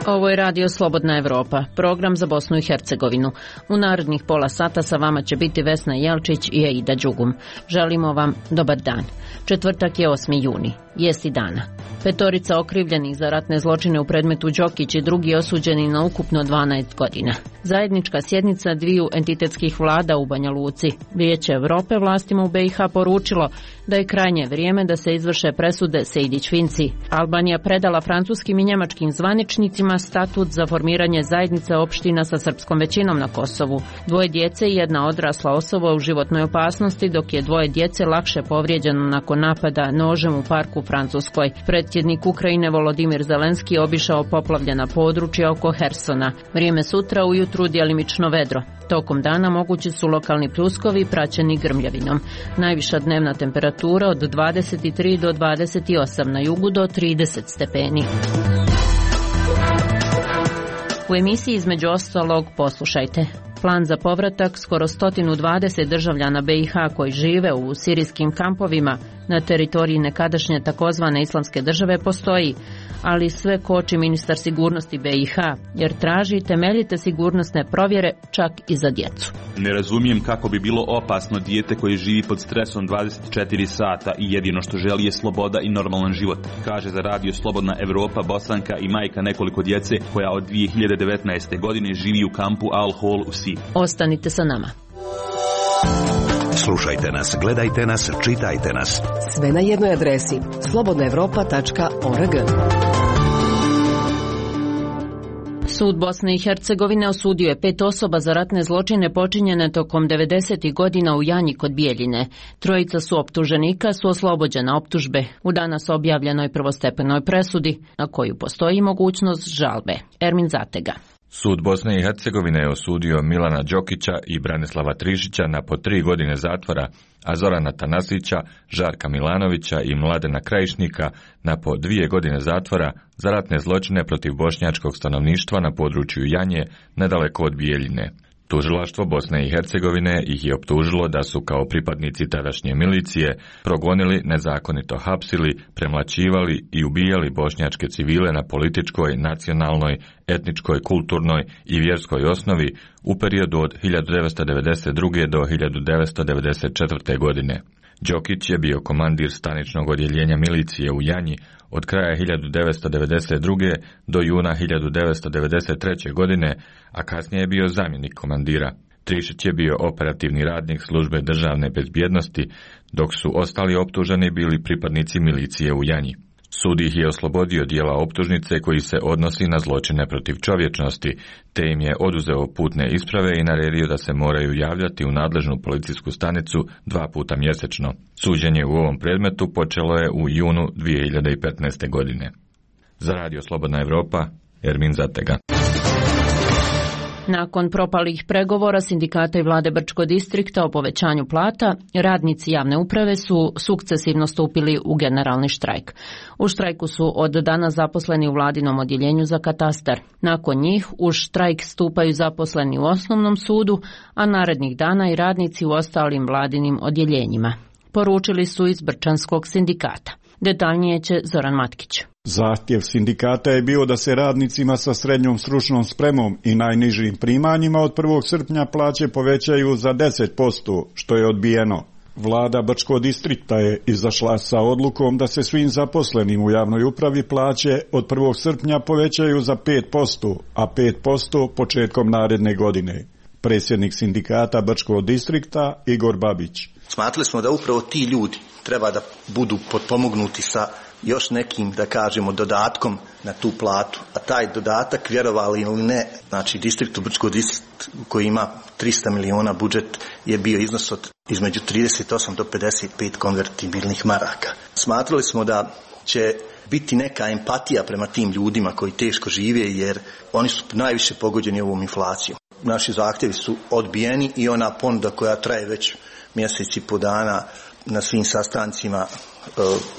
Ovo je Radio Slobodna Evropa, program za Bosnu i Hercegovinu. U narednih pola sata sa vama će biti Vesna Jelčić i Aida Đugum. Želimo vam dobar dan. Četvrtak je 8. juni, jesti dana. 5 okrivljenih za ratne zločine u predmetu Đokić i drugi osuđeni na ukupno 12 godina. Zajednička sjednica dviju entitetskih vlada u Banja Luci. Vijeće Evrope vlastima u BiH poručilo da je krajnje vrijeme da se izvrše presude Sejdić-Finci. Albanija predala francuskim i njemačkim zvaničnicima statut za formiranje zajednice opština sa srpskom većinom na Kosovu. 2 djece i 1 odrasla osoba u životnoj opasnosti, dok je 2 djece lakše povrijeđeno nakon napada nožem u parku u Francuskoj. Predsjednik Ukrajine Volodimir Zelenski obišao poplavljena područja oko Hersona. Vrijeme sutra ujutru djelimično vedro. Tokom dana mogući su lokalni pljuskovi praćeni grmljavinom. Najviša dnevna temperatura od 23 do 28, na jugu do 30 stepeni. U emisiji između ostalog poslušajte. Plan za povratak skoro 120 državljana BiH koji žive u sirijskim kampovima na teritoriji nekadašnje takozvane islamske države postoji, ali sve koči ministar sigurnosti BiH, jer traži temeljite sigurnosne provjere čak i za djecu. Ne razumijem kako bi bilo opasno dijete koje živi pod stresom 24 sata i jedino što želi je sloboda i normalan život, kaže za Radio Slobodna Evropa Bosanka i majka nekoliko djece koja od 2019. godine živi u kampu Al Hol u Siriji. Ostanite sa nama. Slušajte nas, gledajte nas, čitajte nas. Sve na jednoj adresi slobodnaevropa.org. Sud Bosne i Hercegovine osudio je 5 osoba za ratne zločine počinjene tokom 90. godina u Janji kod Bijeljine. 3 su optuženika su oslobođena optužbe u danas objavljenoj prvostepenoj presudi, na koju postoji mogućnost žalbe. Ermin Zatega. Sud Bosne i Hercegovine je osudio Milana Đokića i Branislava Trišića na po 3 godine zatvora, a Zorana Tanasića, Žarka Milanovića i Mladena Krajišnika na po 2 godine zatvora za ratne zločine protiv bošnjačkog stanovništva na području Janje, nedaleko od Bijeljine. Tužilaštvo Bosne i Hercegovine ih je optužilo da su kao pripadnici tadašnje milicije progonili, nezakonito hapsili, premlaćivali i ubijali bošnjačke civile na političkoj, nacionalnoj, etničkoj, kulturnoj i vjerskoj osnovi u periodu od 1992. do 1994. godine. Đokić je bio komandir staničnog odjeljenja milicije u Janji od kraja 1992. do juna 1993. godine, a kasnije je bio zamjenik komandira. Trišić je bio operativni radnik službe državne bezbjednosti, dok su ostali optuženi bili pripadnici milicije u Janji. Sud ih je oslobodio dijela optužnice koji se odnosi na zločine protiv čovječnosti, te im je oduzeo putne isprave i naredio da se moraju javljati u nadležnu policijsku stanicu 2 puta mjesečno. Suđenje u ovom predmetu počelo je u junu 2015. godine. Za Radio Slobodna Evropa, Ermin Zatega. Nakon propalih pregovora sindikata i vlade Brčkog distrikta o povećanju plata, radnici javne uprave su sukcesivno stupili u generalni štrajk. U štrajku su od danas zaposleni u vladinom odjeljenju za katastar. Nakon njih u štrajk stupaju zaposleni u osnovnom sudu, a narednih dana i radnici u ostalim vladinim odjeljenjima. Poručili su iz Brčanskog sindikata. Detaljnije će Zoran Matkić. Zahtjev sindikata je bio da se radnicima sa srednjom stručnom spremom i najnižim primanjima od 1. srpnja plaće povećaju za 10%, što je odbijeno. Vlada Brčkog distrikta je izašla sa odlukom da se svim zaposlenim u javnoj upravi plaće od 1. srpnja povećaju za 5%, a 5% početkom naredne godine. Predsjednik sindikata Brčkog distrikta Igor Babić. Smatrali smo da upravo ti ljudi treba da budu potpomognuti sa još nekim, da kažemo, dodatkom na tu platu. A taj dodatak, vjerovali ili ne, znači distriktu Brčkog distrikt koji ima 300 miliona budžet je bio iznos od između 38 do 55 konvertibilnih maraka. Smatrali smo da će biti neka empatija prema tim ljudima koji teško žive, jer oni su najviše pogođeni ovom inflacijom. Naši zahtjevi su odbijeni i ona ponuda koja traje već mjesec i po dana na svim sastancima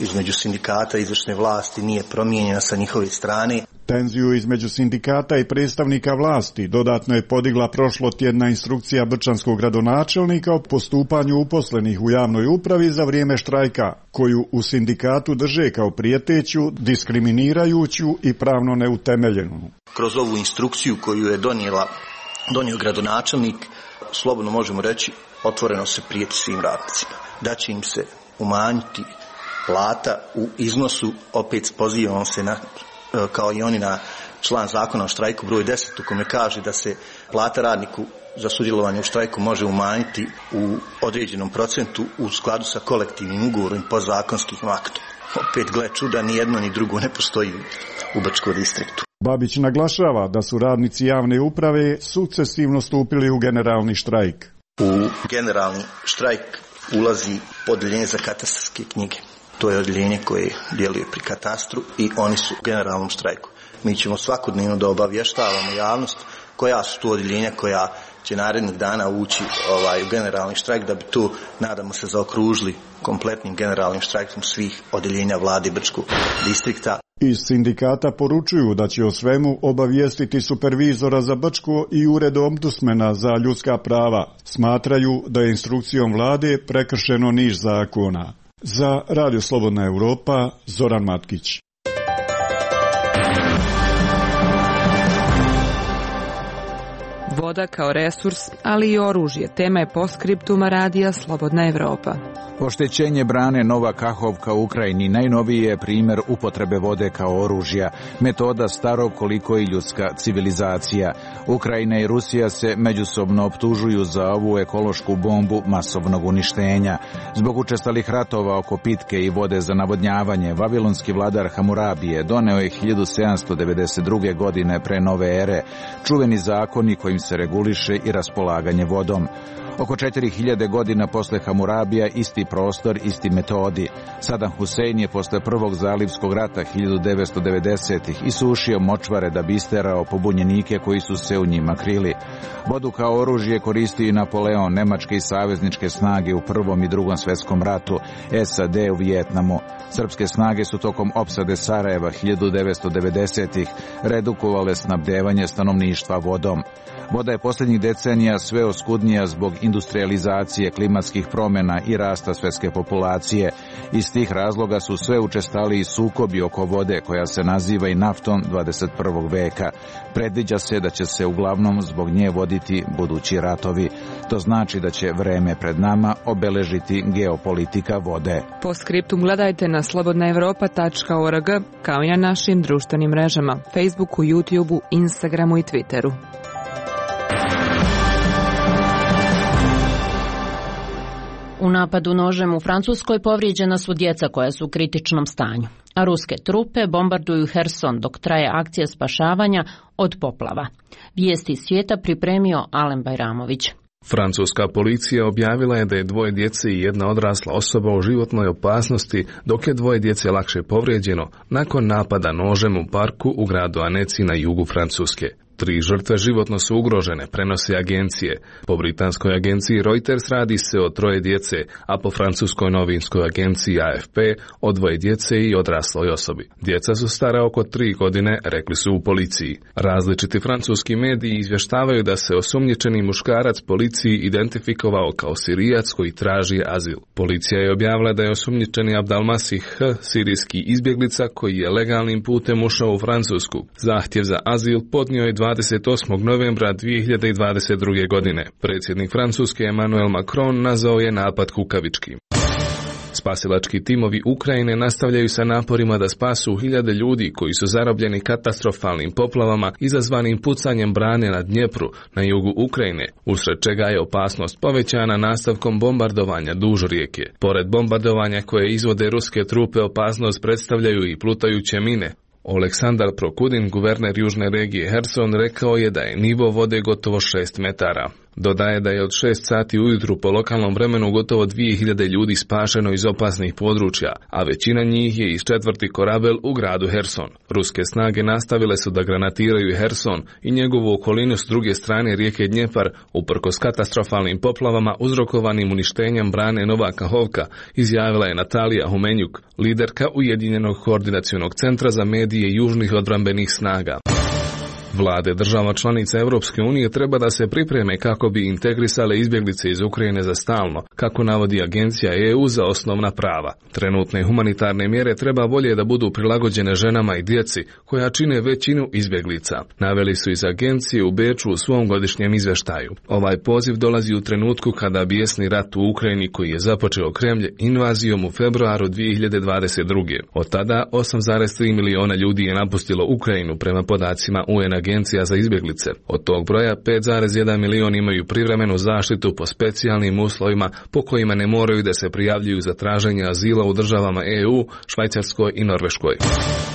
između sindikata i izvršne vlasti nije promijenjena sa njihove strane. Tenziju između sindikata i predstavnika vlasti dodatno je podigla prošlotjedna instrukcija brčanskog gradonačelnika o postupanju uposlenih u javnoj upravi za vrijeme štrajka, koju u sindikatu drže kao prijeteću, diskriminirajuću i pravno neutemeljenu. Kroz ovu instrukciju koju je donio gradonačelnik, slobodno možemo reći, otvoreno se prijeti svim radnicima. Da će im se umanjiti plata u iznosu, opet pozivamo se na, kao i oni, na član zakona o štrajku broj 10 u kome kaže da se plata radniku za sudjelovanje u štrajku može umanjiti u određenom procentu u skladu sa kolektivnim ugovorom i podzakonskim aktom. Opet, gle čuda, ni jedno ni drugo ne postoji u Brčkom distriktu. Babić naglašava da su radnici javne uprave sukcesivno stupili u generalni štrajk. U generalni štrajk ulazi odeljenje za katastarske knjige. To je odeljenje koje djeluje pri katastru i oni su u generalnom štrajku. Mi ćemo svakodnevno da obavještavamo javnost koja su tu odeljenja koja će narednih dana ući u generalni štrajk, da bi tu, nadamo se, zaokružili kompletnim generalnim štrajkom svih odeljenja vlade Brčkog distrikta. Iz sindikata poručuju da će o svemu obavijestiti supervizora za Brčko i ured ombudsmana za ljudska prava. Smatraju da je instrukcijom vlade prekršeno niz zakona. Za Radio Slobodna Europa, Zoran Matkić. Voda kao resurs, ali i oružje, tema je postskriptuma radija Slobodna Evropa. Oštećenje brane Nova Kahovka u Ukrajini najnoviji je primjer upotrebe vode kao oružja, metoda starog koliko i ljudska civilizacija. Ukrajina i Rusija se međusobno optužuju za ovu ekološku bombu masovnog uništenja. Zbog učestalih ratova oko pitke i vode za navodnjavanje, vavilonski vladar Hamurabije doneo je 1792. godine pre nove ere čuveni zakoni kojim se reguliše i raspolaganje vodom. Oko 4000 godina posle Hamurabija isti prostor, isti metodi. Saddam Hussein je posle prvog zalivskog rata 1990-ih isušio močvare da bi isterao pobunjenike koji su se u njima krili. Vodu kao oružje koristio i Napoleon, nemačke i savezničke snage u Prvom i Drugom svjetskom ratu, SAD u Vijetnamu. Srpske snage su tokom opsade Sarajeva 1990-ih redukovale snabdevanje stanovništva vodom. Voda je posljednjih decenija sve oskudnija zbog industrializacije, klimatskih promjena i rasta svjetske populacije. Iz tih razloga su sve učestaliji sukobi oko vode koja se naziva i naftom 21. veka. Predviđa se da će se uglavnom zbog nje voditi budući ratovi. To znači da će vreme pred nama obeležiti geopolitika vode. Postskriptum gledajte na slobodnaevropa.org kao i na našim društvenim mrežama, Facebooku, YouTubeu, Instagramu i Twitteru. U napadu nožem u Francuskoj povrijeđena su djeca koja su u kritičnom stanju, a ruske trupe bombarduju Herson dok traje akcija spašavanja od poplava. Vijesti svijeta pripremio Alen Bajramović. Francuska policija objavila je da je 2 djece i 1 odrasla osoba u životnoj opasnosti, dok je 2 djece lakše povrijeđeno nakon napada nožem u parku u gradu Annecy na jugu Francuske. 3 žrtve životno su ugrožene, prenose agencije. Po britanskoj agenciji Reuters radi se o 3 djece, a po francuskoj novinskoj agenciji AFP o 2 djece i odrasloj osobi. Djeca su stara oko 3 godine, rekli su u policiji. Različiti francuski mediji izvještavaju da se osumnjičeni muškarac policiji identifikovao kao Sirijac koji traži azil. Policija je objavila da je osumnjičeni Abdalmasih H, sirijski izbjeglica koji je legalnim putem ušao u Francusku. Zahtjev za azil podnio je 28. novembra 2022. godine. Predsjednik Francuske Emmanuel Macron nazvao je napad kukavičkim. Spasilački timovi Ukrajine nastavljaju sa naporima da spasu hiljade ljudi koji su zarobljeni katastrofalnim poplavama izazvanim pucanjem brane na Dnjepru na jugu Ukrajine, usred čega je opasnost povećana nastavkom bombardovanja duž rijeke. Pored bombardovanja koje izvode ruske trupe, opasnost predstavljaju i plutajuće mine. Oleksandar Prokudin, guverner južne regije Herson, rekao je da je nivo vode gotovo 6 metara. Dodaje da je od 6 sati ujutru po lokalnom vremenu gotovo 2000 ljudi spašeno iz opasnih područja, a većina njih je iz 4. Korabel u gradu Herson. Ruske snage nastavile su da granatiraju Herson i njegovu okolinu s druge strane rijeke Dnjepar, uprkos katastrofalnim poplavama uzrokovanim uništenjem brane Nova Kahovka, izjavila je Natalija Humenjuk, liderka Ujedinjenog koordinacionog centra za medije južnih odbrambenih snaga. Vlade država članica Europske unije treba da se pripreme kako bi integrisale izbjeglice iz Ukrajine za stalno, kako navodi Agencija EU za osnovna prava. Trenutne humanitarne mjere treba bolje da budu prilagođene ženama i djeci, koja čine većinu izbjeglica. Naveli su iz agencije u Beču u svom godišnjem izvještaju. Ovaj poziv dolazi u trenutku kada bijesni rat u Ukrajini, koji je započeo Kremlj invazijom u februaru 2022. Od tada 8,3 miliona ljudi je napustilo Ukrajinu prema podacima UN Agencija za izbjeglice. Od tog broja 5,1 milion imaju privremenu zaštitu po specijalnim uslovima po kojima ne moraju da se prijavljuju za traženje azila u državama EU, Švajcarskoj i Norveškoj.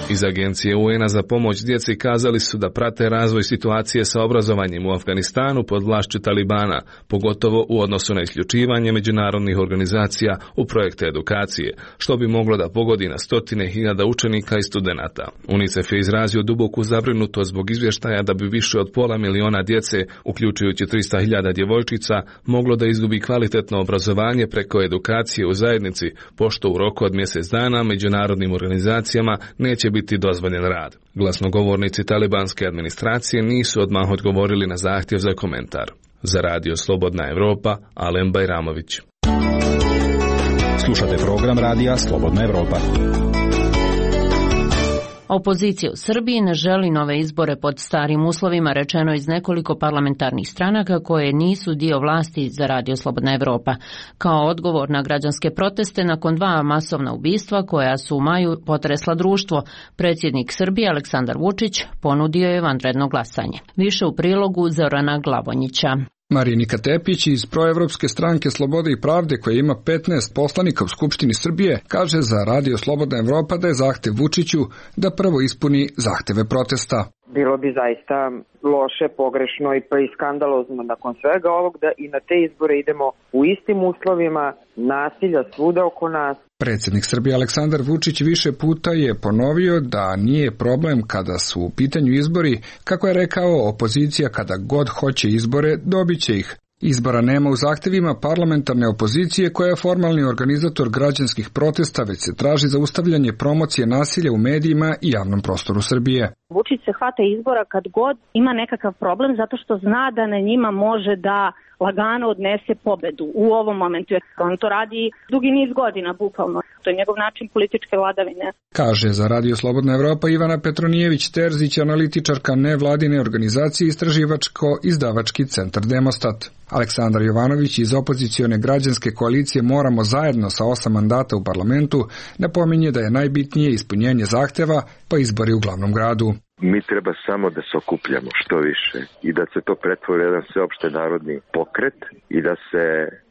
Iz Agencije UN-a za pomoć djeci kazali su da prate razvoj situacije sa obrazovanjem u Afganistanu pod vlašću Talibana, pogotovo u odnosu na isključivanje međunarodnih organizacija u projekte edukacije, što bi moglo da pogodi na stotine hiljada učenika i studenata. UNICEF je izrazio duboku zabrinutost zbog izvještaja da bi više od 500 miliona djece, uključujući 300.000 djevojčica, moglo da izgubi kvalitetno obrazovanje preko edukacije u zajednici, pošto u roku od mjesec dana međunarodnim organizacijama neće biti dozvoljen rad. Glasnogovornici talibanske administracije nisu odmah odgovorili na zahtjev za komentar. Za Radio Slobodna Evropa, Alen Bajramović. Slušate program Radija Slobodna Evropa. Opozicija u Srbiji ne želi nove izbore pod starim uslovima, rečeno iz nekoliko parlamentarnih stranaka koje nisu dio vlasti za Radio Slobodna Evropa. Kao odgovor na građanske proteste nakon 2 masovna ubistva koja su u maju potresla društvo, predsjednik Srbije Aleksandar Vučić ponudio je vanredno glasanje. Više u prilogu Zorana Glavonjića. Marinika Tepić iz proevropske stranke Slobode i pravde, koja ima 15 poslanika u Skupštini Srbije, kaže za Radio Slobodna Evropa da je zahtev Vučiću da prvo ispuni zahteve protesta. Bilo bi zaista loše, pogrešno i pa i skandalozno nakon svega ovog da i na te izbore idemo u istim uslovima, nasilja svuda oko nas. Predsjednik Srbije Aleksandar Vučić više puta je ponovio da nije problem kada su u pitanju izbori, kako je rekao, opozicija kada god hoće izbore, dobit će ih. Izbora nema u zahtevima parlamentarne opozicije koja je formalni organizator građanskih protesta, već se traži zaustavljanje promocije nasilja u medijima i javnom prostoru Srbije. Vučić se hvata izbora kad god ima nekakav problem zato što zna da na njima može da lagano odnese pobedu u ovom momentu. On to radi dugi niz godina, bukvalno. To je njegov način političke vladavine. Kaže za Radio Slobodna Evropa Ivana Petronijević-Terzić, analitičarka nevladine organizacije Istraživačko-izdavački centar Demostat. Aleksandar Jovanović iz opozicione građanske koalicije Moramo zajedno sa 8 mandata u parlamentu napominje da je najbitnije ispunjenje zahteva pa izbori u glavnom gradu. Mi treba samo da se okupljamo što više i da se to pretvori jedan sveopšte narodni pokret i da se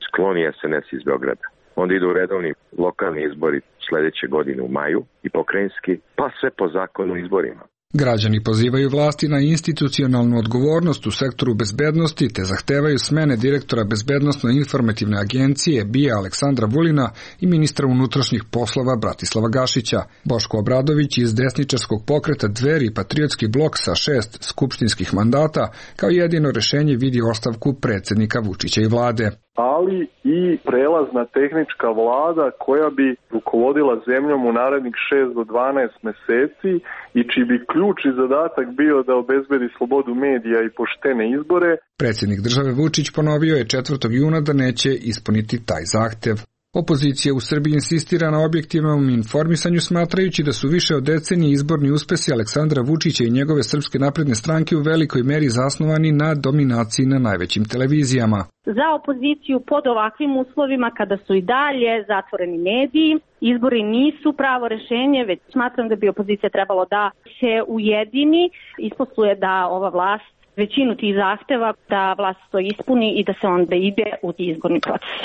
skloni SNS iz Beograda. Onda idu redovni lokalni izbori sljedeće godine u maju i pokrajinski, pa sve po zakonu izborima. Građani pozivaju vlasti na institucionalnu odgovornost u sektoru bezbednosti te zahtevaju smene direktora Bezbednosno-informativne agencije BIA Aleksandra Vulina i ministra unutrašnjih poslova Bratislava Gašića. Boško Obradović iz desničarskog pokreta Dveri i Patriotski blok sa 6 skupštinskih mandata kao jedino rješenje vidi ostavku predsjednika Vučića i vlade. Ali i prelazna tehnička vlada koja bi rukovodila zemljom u narednih 6 do 12 mjeseci i čiji bi ključ i zadatak bio da obezbedi slobodu medija i poštene izbore. Predsjednik države Vučić ponovio je 4. juna da neće ispuniti taj zahtev. Opozicija u Srbiji insistira na objektivnom informisanju, smatrajući da su više od decenije izborni uspesi Aleksandra Vučića i njegove Srpske napredne stranke u velikoj meri zasnovani na dominaciji na najvećim televizijama. Za opoziciju pod ovakvim uslovima, kada su i dalje zatvoreni mediji, izbori nisu pravo rješenje, već smatram da bi opozicija trebalo da se ujedini, isposluje da ova vlast većinu tih zahteva, da vlast to ispuni i da se onda ide u izborni proces.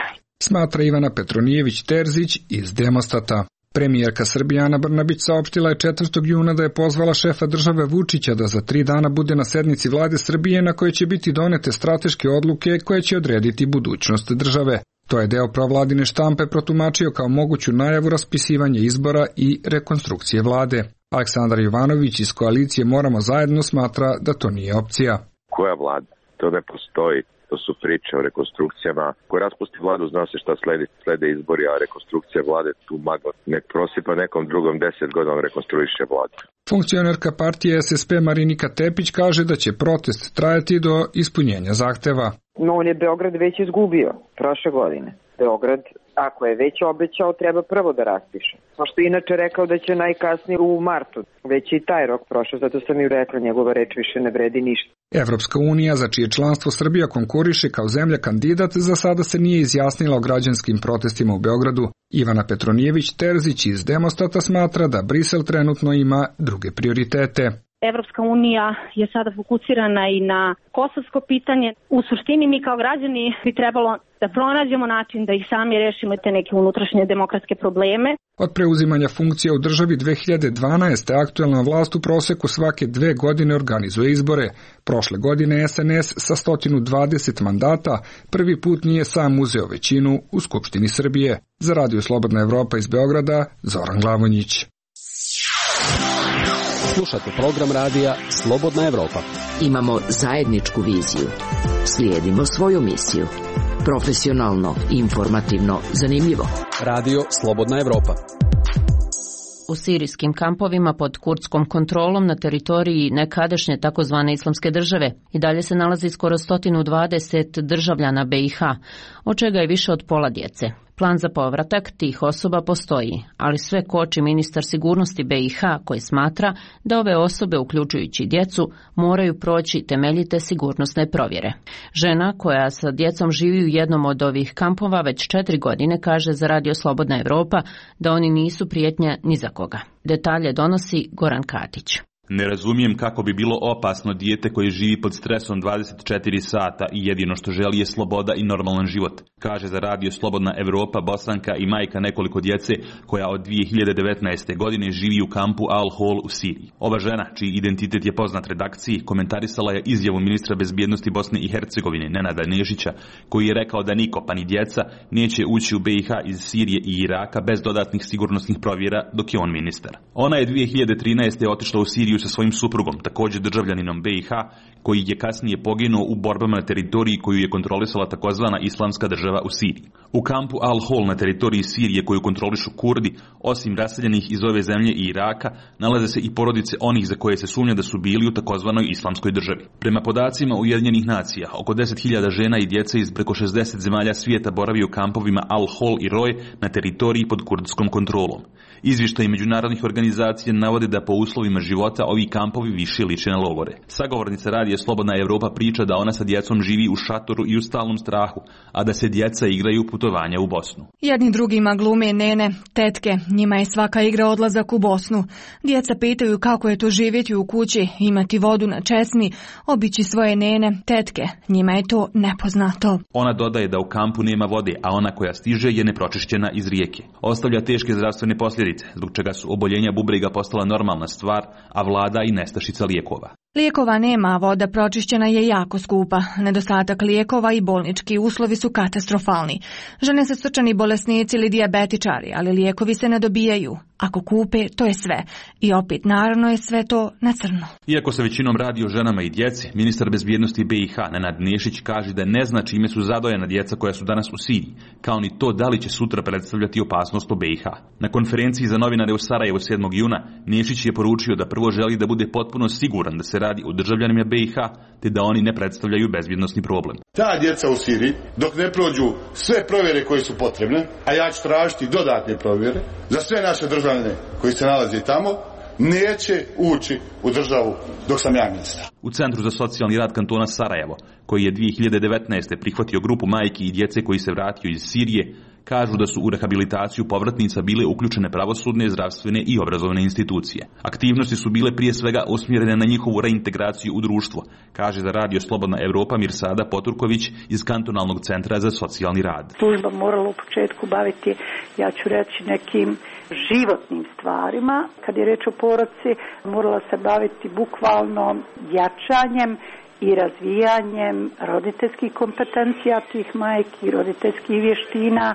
Smatra Ivana Petronijević-Terzić iz Demostata. Premijerka Srbije Ana Brnabić saopštila je 4. juna da je pozvala šefa države Vučića da za 3 dana bude na sednici vlade Srbije na kojoj će biti donete strateške odluke koje će odrediti budućnost države. To je deo provladine štampe protumačio kao moguću najavu raspisivanja izbora i rekonstrukcije vlade. Aleksandar Jovanović iz koalicije Moramo zajedno smatra da to nije opcija. Koja vlada? To ne postoji. To su priče o rekonstrukcijama. Ko raspusti vladu, zna se šta slede izbori, a rekonstrukcija vlade tu magla. Nek prosipa nekom drugom 10 godina rekonstruiše vladu. Funkcionerka partije SSP Marinika Tepić kaže da će protest trajati do ispunjenja zahteva. No, on je Beograd već izgubio prošle godine. Beograd, ako je već obećao, treba prvo da raspiše. Pošto inače rekao da će najkasnije u martu. Već i taj rok prošao, zato sam i rekla, njegova reč više ne vredi ništa. Evropska unija, za čije članstvo Srbija konkuriše kao zemlja kandidat, za sada se nije izjasnila o građanskim protestima u Beogradu. Ivana Petronijević-Terzić iz Demostata smatra da Brisel trenutno ima druge prioritete. Evropska unija je sada fokusirana i na kosovsko pitanje. U suštini mi kao građani bi trebalo da pronađemo način da ih sami rešimo te neke unutrašnje demokratske probleme. Od preuzimanja funkcija u državi 2012. aktuelna vlast u proseku svake 2 godine organizuje izbore. Prošle godine SNS sa 120 mandata prvi put nije sam uzeo većinu u Skupštini Srbije. Za Radio Slobodna Evropa iz Beograda, Zoran Glavonjić. Slušate program radija Slobodna Evropa. Imamo zajedničku viziju. Slijedimo svoju misiju. Profesionalno, informativno, zanimljivo. Radio Slobodna Evropa. U sirijskim kampovima pod kurdskom kontrolom na teritoriji nekadašnje takozvane islamske države i dalje se nalazi skoro 120 državljana BiH, od čega je više od pola djece. Plan za povratak tih osoba postoji, ali sve koči ministar sigurnosti BiH koji smatra da ove osobe, uključujući djecu, moraju proći temeljite sigurnosne provjere. Žena koja sa djecom živi u jednom od ovih kampova već 4 godine kaže za Radio Slobodna Evropa da oni nisu prijetnja ni za koga. Detalje donosi Goran Katić. Ne razumijem kako bi bilo opasno dijete koje živi pod stresom 24 sata i jedino što želi je sloboda i normalan život, kaže za Radio Slobodna Evropa Bosanka i majka nekoliko djece koja od 2019. godine živi u kampu Al-Hol u Siriji. Ova žena, čiji identitet je poznat redakciji, komentarisala je izjavu ministra bezbjednosti Bosne i Hercegovine Nenada Nešića, koji je rekao da niko, pa ni djeca, neće ući u BiH iz Sirije i Iraka bez dodatnih sigurnosnih provjera dok je on ministar. Ona je 2013. otišla u Siriju sa svojim suprugom, također državljaninom BiH, koji je kasnije poginuo u borbama na teritoriji koju je kontrolisala takozvana islamska država u Siriji. U kampu Al-Hol na teritoriji Sirije koju kontrolišu Kurdi, osim raseljenih iz ove zemlje i Iraka, nalaze se i porodice onih za koje se sumnja da su bili u takozvanoj islamskoj državi. Prema podacima Ujedinjenih nacija, oko 10.000 žena i djece iz preko 60 zemalja svijeta boravi u kampovima Al-Hol i Roj na teritoriji pod kurdskom kontrolom. Izvještaji međunarodnih organizacija navode da po uslovima života ovi kampovi više liče na logore. Sagovornica Radija Slobodna Evropa priča da ona sa djecom živi u šatoru i u stalnom strahu, a da se djeca igraju putovanja u Bosnu. Jedni drugima glume nene, tetke, njima je svaka igra odlazak u Bosnu. Djeca pitaju kako je to živjeti u kući, imati vodu na česmi, obići svoje nene, tetke, njima je to nepoznato. Ona dodaje da u kampu nema vode, a ona koja stiže je nepročišćena iz rijeke. Ostavlja teške zdravstvene posljedice, zbog čega su oboljenja bubrega postala normalna stvar, a vlada i nestašica lijekova. Lijekova nema, voda pročišćena je jako skupa. Nedostatak lijekova i bolnički uslovi su katastrofalni. Žene se srčani bolesnici ili dijabetičari, ali lijekovi se ne dobijaju. Ako kupe, to je sve. I opet, naravno je sve to na crno. Iako se većinom radi o ženama i djeci, ministar bezbjednosti BiH Nenad Nešić kaže da ne zna čime su zadojena djeca koja su danas u Siriji, kao ni to da li će sutra predstavljati opasnost po BiH. Na konferenciji za novinare u Sarajevu 7. juna Nešić je poručio da prvo želi da bude potpuno siguran da se radi o državljanima BiH, te da oni ne predstavljaju bezbjednosni problem. Ta djeca u Siriji, dok ne prođu sve provjere koje su potrebne, a ja ću tražiti dodatne provjere za sve naše državljane koji se nalaze tamo, neće ući u državu dok sam ja ministar. U Centru za socijalni rad kantona Sarajevo, koji je 2019. prihvatio grupu majki i djece koji se vratio iz Sirije, Kažu da su u rehabilitaciju povratnica bile uključene pravosudne, zdravstvene i obrazovne institucije. Aktivnosti su bile prije svega usmjerene na njihovu reintegraciju u društvo, kaže za Radio Slobodna Evropa Mirsada Poturković iz Kantonalnog centra za socijalni rad. Služba morala u početku baviti, ja ću reći, nekim životnim stvarima. Kad je reč o porodci, morala se baviti bukvalno jačanjem i razvijanjem roditeljskih kompetencija tih majki, roditeljskih vještina,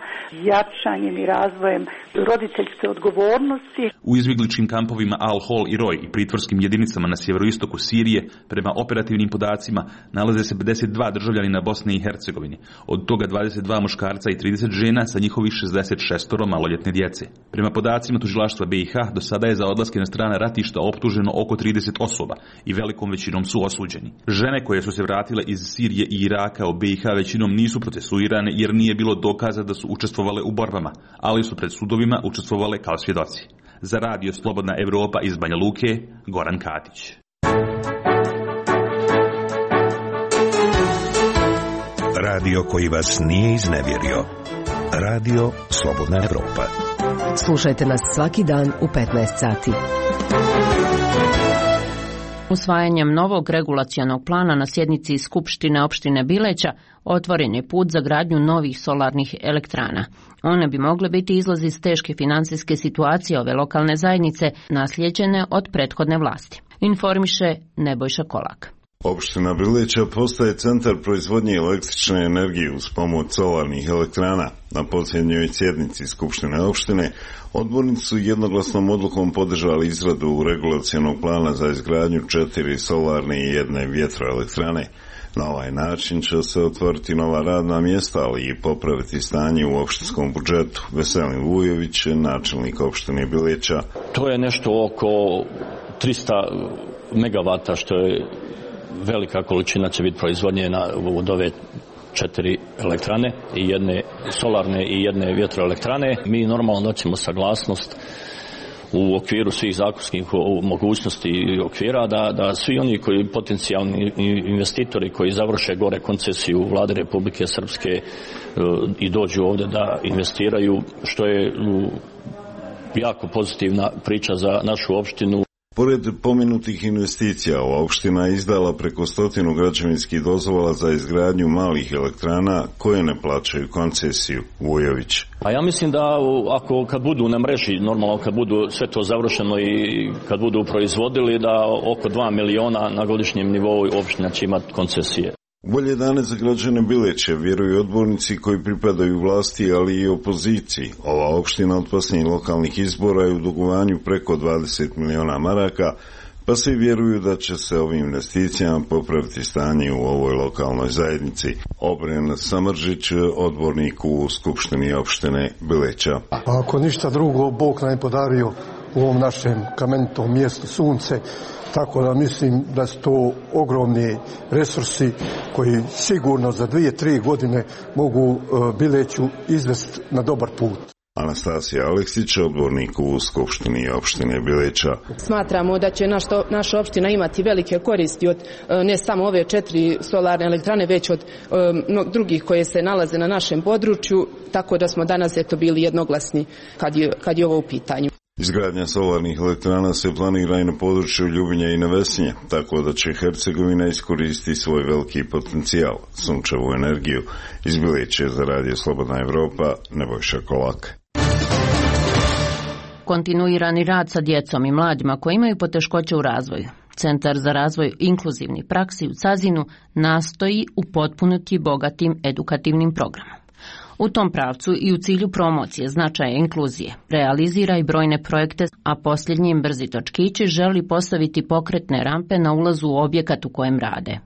jačanjem i razvojem roditeljske odgovornosti. U izbjegličkim kampovima Al-Hol i Roj i pritvorskim jedinicama na sjeveroistoku Sirije, prema operativnim podacima, nalaze se 52 državljanina Bosne i Hercegovine, od toga 22 muškarca i 30 žena sa njihovih 66 maloljetne djece. Prema podacima tužilaštva BiH, do sada je za odlaske na strana ratišta optuženo oko 30 osoba i velikom većinom su osuđeni. Žene koje su se vratile iz Sirije i Iraka u BiH većinom nisu procesuirane jer nije bilo dokaza da su učestvovale u borbama, ali su pred sudovima učestvovale kao svjedoci. Za Radio Slobodna Evropa iz Banja Luke, Goran Katić. Radio koji vas nije iznevjerio. Radio Slobodna Evropa. Slušajte nas svaki dan u 15 sati. Usvajanjem novog regulacionog plana na sjednici Skupštine opštine Bileća otvoren je put za gradnju novih solarnih elektrana. One bi mogle biti izlaz iz teške financijske situacije ove lokalne zajednice naslijeđene od prethodne vlasti. Informiše Nebojša Kolak. Opština Bileća postaje centar proizvodnje električne energije uz pomoć solarnih elektrana. Na posljednjoj sjednici Skupštine opštine odbornici su jednoglasnom odlukom podržali izradu regulacionog plana za izgradnju 4 solarne i 1 vjetroelektrane. Na ovaj način će se otvoriti nova radna mjesta, ali i popraviti stanje u opštinskom budžetu. Veselin Vujović, načelnik opštine Bileća. To je nešto oko 300 megavata, što je velika količina će biti proizvodnjena od ove 4 elektrane, i jedne solarne i 1 vjetroelektrane. Mi normalno doćemo saglasnost u okviru svih zakonskih mogućnosti i okvira da svi oni koji potencijalni investitori koji završe gore koncesiju Vlade Republike Srpske i dođu ovdje da investiraju, što je jako pozitivna priča za našu opštinu. Pored pomenutih investicija, ova opština je izdala preko 100 građevinskih dozvola za izgradnju malih elektrana koje ne plaćaju koncesiju. Vujović. A ja mislim da kad budu na mreži, normalno kad budu sve to završeno i kad budu proizvodili, da oko 2 miliona na godišnjem nivou opština će imati koncesije. Bolje dane za građane Bileća vjeruju odbornici koji pripadaju vlasti, ali i opoziciji. Ova opština od posljednjih lokalnih izbora je u dugovanju preko 20 miliona maraka, pa svi vjeruju da će se ovim investicijama popraviti stanje u ovoj lokalnoj zajednici. Obren Samržić, odbornik u Skupštini opštine Bileća. Ako ništa drugo, Bog nam je podario u ovom našem kamenitom mjestu sunce, tako da mislim da su to ogromni resursi koji sigurno za 2-3 godine mogu Bileću izvesti na dobar put. Anastasija Aleksić, odbornik u Skupštini opštine Bileća. Smatramo da će naša opština imati velike koristi od ne samo ove 4 solarne elektrane, već od drugih koje se nalaze na našem području, tako da smo danas bili jednoglasni kad je ovo u pitanju. Izgradnja solarnih elektrana se planira i na području Ljubinja i Nevesinja, tako da će Hercegovina iskoristiti svoj veliki potencijal, sunčevu energiju. Iz Bileća za Radio Slobodna Evropa, Nebojša Kolak. Kontinuirani rad sa djecom i mladima koji imaju poteškoće u razvoju. Centar za razvoj inkluzivnih praksi u Cazinu nastoji upotpuniti bogatim edukativnim programom. U tom pravcu i u cilju promocije značaja inkluzije realizira i brojne projekte, a posljednjim Brzi točkići želi postaviti pokretne rampe na ulazu u objekat u kojem rade.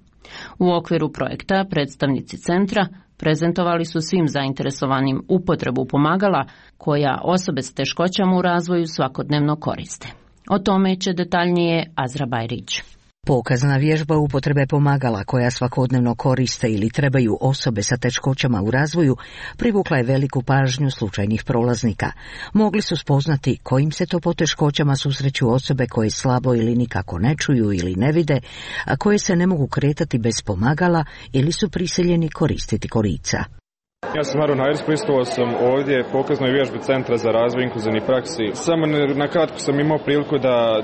U okviru projekta predstavnici centra prezentovali su svim zainteresovanim upotrebu pomagala koja osobe s teškoćama u razvoju svakodnevno koriste. O tome će detaljnije Azra Bajrić. Pokazna vježba upotrebe pomagala koja svakodnevno koriste ili trebaju osobe sa teškoćama u razvoju privukla je veliku pažnju slučajnih prolaznika. Mogli su spoznati kojim se to poteškoćama susreću osobe koje slabo ili nikako ne čuju ili ne vide, a koje se ne mogu kretati bez pomagala ili su prisiljeni koristiti kolica. Ja sam Maron Hajers, prisustvovao sam ovdje pokaznoj vježbi Centra za razvoj inkluzivnih praksi. Samo na kratko sam imao priliku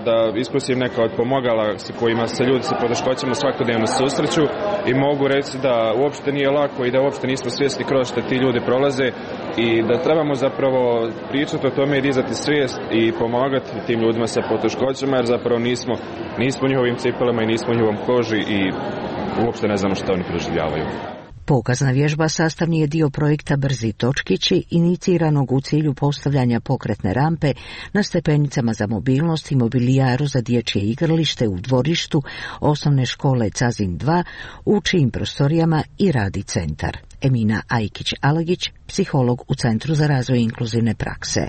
da iskusim neka od pomogala sa kojima se ljudi sa poteškoćama svakodnevno susreću i mogu reći da uopšte nije lako i da uopšte nismo svjesni kroz što ti ljudi prolaze i da trebamo zapravo pričati o tome i dizati svijest i pomagati tim ljudima sa poteškoćama jer zapravo nismo u njihovim cipelama i nismo u njihovom koži i uopšte ne znamo što oni proživljavaju. Pokazna vježba sastavni je dio projekta Brzi točkići, iniciranog u cilju postavljanja pokretne rampe na stepenicama za mobilnost i mobilijaru za dječje igralište u dvorištu osnovne škole Cazin 2, u čijim prostorijama i radi centar. Emina Ajkić-Alagić, psiholog u Centru za razvoj inkluzivne prakse.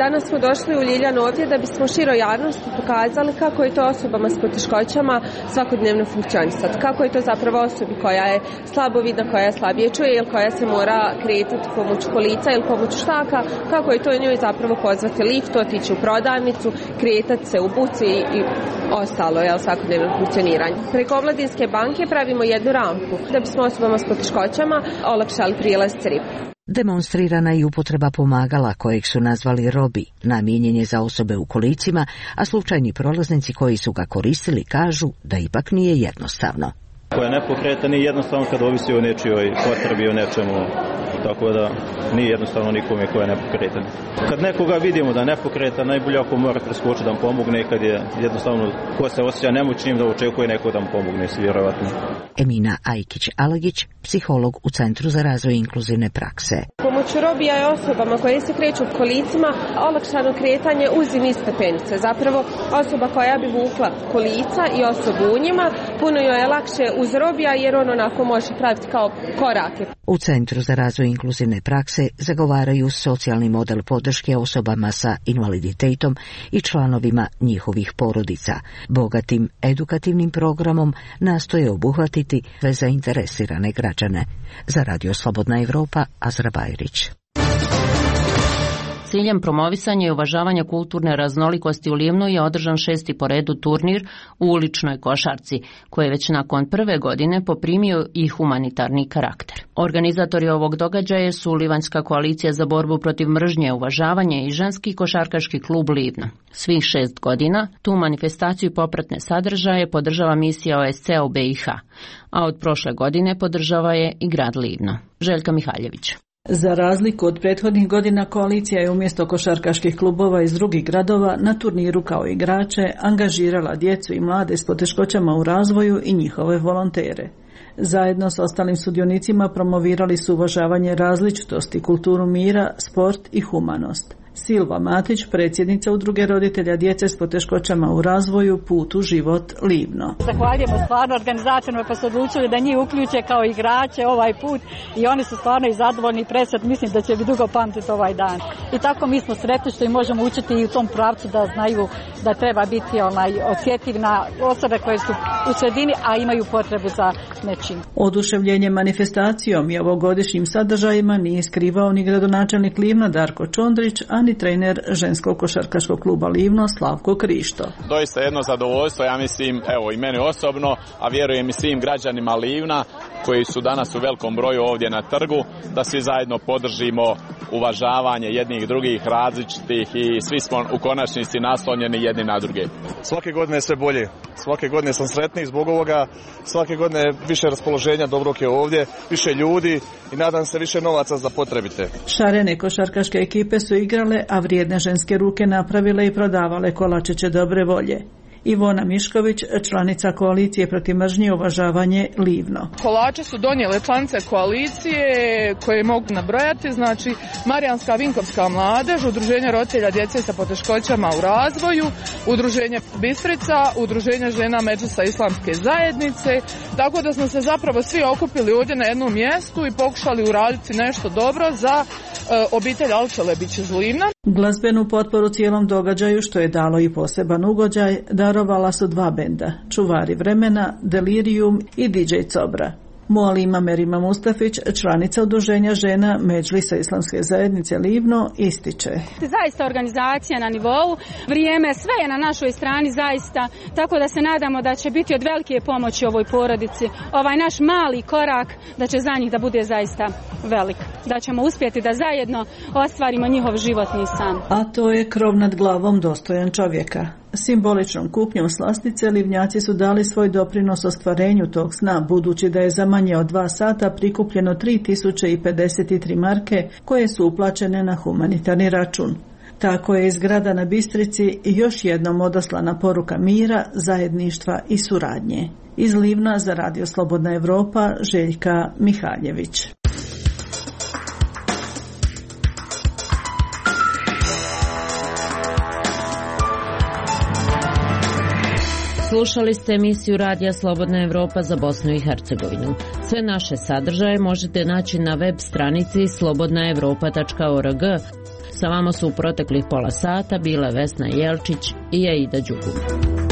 Danas smo došli u Ljiljanu ovdje da bismo široj javnosti pokazali kako je to osobama s poteškoćama svakodnevno funkcionisati. Kako je to zapravo osobi koja je slabovidna, koja je slabije čuje ili koja se mora kretati pomoću kolica ili pomoću štaka, kako je to njoj zapravo pozvati lift, otići u prodavnicu, kretati se u buci i ostalo svakodnevno funkcioniranje. Preko Omladinske banke pravimo jednu rampu da bismo osobama s poteškoćama olakšali prijelaz CRIP. Demonstrirana i upotreba pomagala kojeg su nazvali Robi, namijenjen je za osobe u kolicima, a slučajni prolaznici koji su ga koristili kažu da ipak nije jednostavno. Ko je nepokretan nije jednostavno kad ovisi o nečijoj potrebi, o nečemu, tako da nije jednostavno nikome ko je nepokretan. Kad nekoga vidimo da je nepokretan, najbolje ako mora preskočiti da mu pomogne, kad je jednostavno ko se osjeća nemoćnim da očekuje neko da mu pomogne, vjerovatno. Emina Ajkić-Alagić, psiholog u Centru za razvoj inkluzivne prakse. Pomoću Robija je osobama koje se kreću u kolicima olakšano kretanje uz i niz stepenice. Zapravo osoba koja bi vukla kolica i osobu u njima, puno joj je lakše uz Robija jer on onako može praviti kao korake. U Centru za razvoj inkluzivne prakse zagovaraju socijalni model podrške osobama sa invaliditetom i članovima njihovih porodica. Bogatim edukativnim programom nastoje obuhvatiti sve zainteresirane građane. Za Radio Slobodna Evropa, Azra Bajrić. Ciljem promovisanja i uvažavanja kulturne raznolikosti u Livnu je održan 6. po redu turnir u uličnoj košarci, koji je već nakon prve godine poprimio i humanitarni karakter. Organizatori ovog događaja su Livanjska koalicija za borbu protiv mržnje, uvažavanje i ženski košarkaški klub Livno. Svih 6 godina tu manifestaciju i popratne sadržaje podržava misija OSCE u BiH, a od prošle godine podržava je i grad Livno. Željka Mihaljević. Za razliku od prethodnih godina, koalicija je umjesto košarkaških klubova iz drugih gradova na turniru kao igrače angažirala djecu i mlade s poteškoćama u razvoju i njihove volontere. Zajedno s ostalim sudionicima promovirali su uvažavanje različitosti, kulturu mira, sport i humanost. Silva Matić, predsjednica Udruge roditelja djece s poteškoćama u razvoju Put u život Livno. Zahvaljujemo stvarno organizatorima pa su odlučili da njih uključe kao igrače ovaj put i oni su stvarno i zadovoljni i presretni, mislim da će biti dugo pamtiti ovaj dan. I tako mi smo sretni što i možemo učiti i u tom pravcu da znaju da treba biti osjetljiv na osobe koje su u sredini, a imaju potrebu za nečim. Oduševljenje manifestacijom i ovogodišnjim sadržajima nije skrivao ni gradonačelnik Livna Darko Čondrić, a ni trener ženskog košarkaškog kluba Livno Slavko Krišto. Doista jedno zadovoljstvo, ja mislim, evo i meni osobno, a vjerujem i svim građanima Livna koji su danas u velikom broju ovdje na trgu, da svi zajedno podržimo uvažavanje jednih drugih različitih i svi smo u konačnici naslonjeni jedni na druge. Svake godine sve bolje, svake godine sam sretniji zbog ovoga, svake godine više raspoloženja dobrog je ovdje, više ljudi i nadam se više novaca za potrebite. Šarene košarkaške ekipe su igrale, a vrijedne ženske ruke napravile i prodavale kolačiće dobre volje. Ivona Mišković, članica koalicije protiv mržnje i uvažavanje Livno. Kolače su donijele članice koalicije koje mogu nabrojati, znači Marijanska Vinkovska mladež, Udruženje roditelja djece sa poteškoćama u razvoju, Udruženje Bistrica, Udruženje žena Medžlisa Islamske zajednice, tako da smo se zapravo svi okupili ovdje na jednom mjestu i pokušali uraditi nešto dobro za obitelj Alčelebić iz Livna. Glazbenu potporu cijelom događaju, što je dalo i poseban ugođaj, darovala su dva benda, Čuvari vremena, Delirium i DJ Cobra. Mualima Merima Mustafić, članica udruženja žena Medžlisa Islamske zajednice Livno, ističe. Zaista organizacija na nivou, vrijeme, sve je na našoj strani zaista, tako da se nadamo da će biti od velike pomoći ovoj porodici. Ovaj naš mali korak da će za njih da bude zaista velik. Da ćemo uspjeti da zajedno ostvarimo njihov životni san. A to je krov nad glavom dostojan čovjeka. Simboličnom kupnjom slastice Livnjaci su dali svoj doprinos ostvarenju tog sna, budući da je za manje od 2 sata prikupljeno 3053 marke koje su uplaćene na humanitarni račun. Tako je iz grada na Bistrici još jednom odaslana poruka mira, zajedništva i suradnje. Iz Livna za Radio Slobodna Evropa, Željka Mihaljević. Slušali ste emisiju Radija Slobodna Evropa za Bosnu i Hercegovinu. Sve naše sadržaje možete naći na web stranici slobodnaevropa.org. Sa vama su u proteklih pola sata bile Vesna Jelčić i Aida Đugum.